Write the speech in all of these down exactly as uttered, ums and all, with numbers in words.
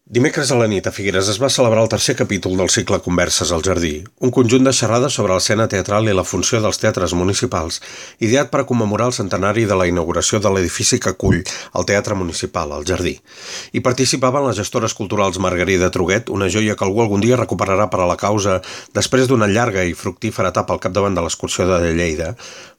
Dimecres a la nit a Figueres es va celebrar el tercer capítol del cicle Converses al Jardí, un conjunt de xerrades sobre l'escena teatral i la funció dels teatres municipals, ideat per a commemorar el centenari de la inauguració de l'edifici que acull el Teatre Municipal, el Jardí. Hi participaven les gestores culturals Margarida Truguet, una joia que algú algun dia recuperarà per a la causa després d'una llarga i fructífera etapa al capdavant de l'excursió de Lleida,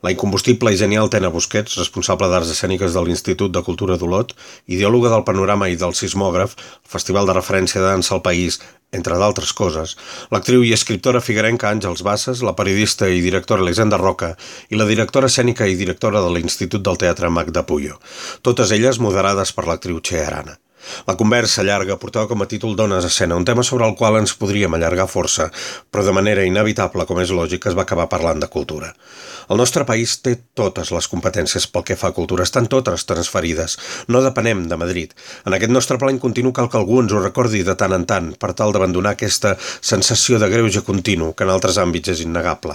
la incombustible i genial Tena Busquets, responsable d'Arts Escèniques de l'Institut de Cultura d'Olot, ideòloga del Panorama i del Sismògraf, el Festival de referència de dansa al país, entre d'altres coses, l'actriu i escriptora figuerenca Àngels Bassas, la periodista i directora Elisenda Roca i la directora escènica i directora de l'Institut del Teatre Magda Puyo, totes elles moderades per l'actriu Txea Arana. La conversa llarga portava com a títol Dones a escena, un tema sobre el qual ens podríem allargar força, però de manera inevitable, com és lògic, es va acabar parlant de cultura. El nostre país té totes les competències pel que fa a cultura, estan totes transferides, no depenem de Madrid. En aquest nostre plany continu cal que algú ens ho recordi de tant en tant, per tal d'abandonar aquesta sensació de greuge continu, que en altres àmbits és innegable.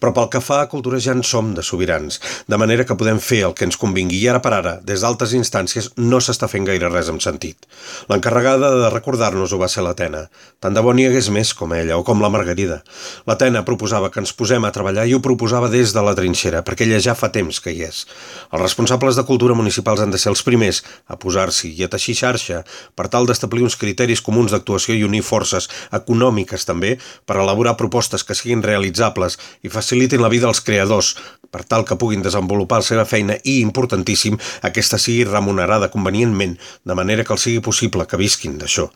Però pel que fa a cultura ja en som de sobirans, de manera que podem fer el que ens convingui, i ara per ara, des d'altres instàncies, no s'està fent gaire res amb sentit. L'encarregada de recordar-nos-ho va ser la Tena. Tant de bo n'hi hagués més com ella, o com la Margarida. La Tena proposava que ens posem a treballar i ho proposava des de la trinxera, perquè ella ja fa temps que hi és. Els responsables de cultura municipals han de ser els primers a posar-s'hi i a teixir xarxa per tal d'establir uns criteris comuns d'actuació i unir forces econòmiques també per elaborar propostes que siguin realitzables i facilitin la vida als creadors per tal que puguin desenvolupar la seva feina i, importantíssim, aquesta sigui remunerada convenientment, de manera que els sigui possible que visquin d'això.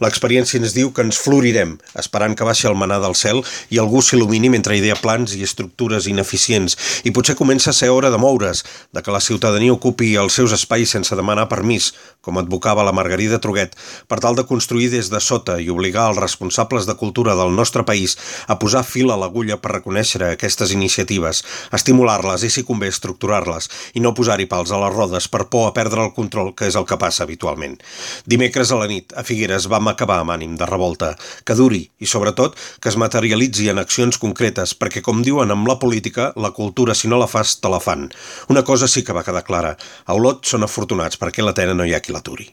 L'experiència ens diu que ens florirem, esperant que baixi el manar del cel i algú s'il·lumini mentre idea plans i estructures ineficients, i potser comença a ser hora de moure's, de que la ciutadania ocupi els seus espais sense demanar permís, com advocava la Margarida Truguet, per tal de construir des de sota i obligar els responsables de cultura del nostre país a posar fil a l'agulla per reconèixer aquestes iniciatives, estimular-les i, si convé, estructurar-les, i no posar-hi pals a les rodes per por a perdre el control, que és el que passa habitualment. Dimecres a la nit, a Figueres, vam acabar amb ànim de revolta, que duri i, sobretot, que es materialitzi en accions concretes, perquè, com diuen amb la política, la cultura, si no la fas, te la fan. Una cosa sí que va quedar clara. A Olot són afortunats perquè la Tena no hi ha qui l'aturi.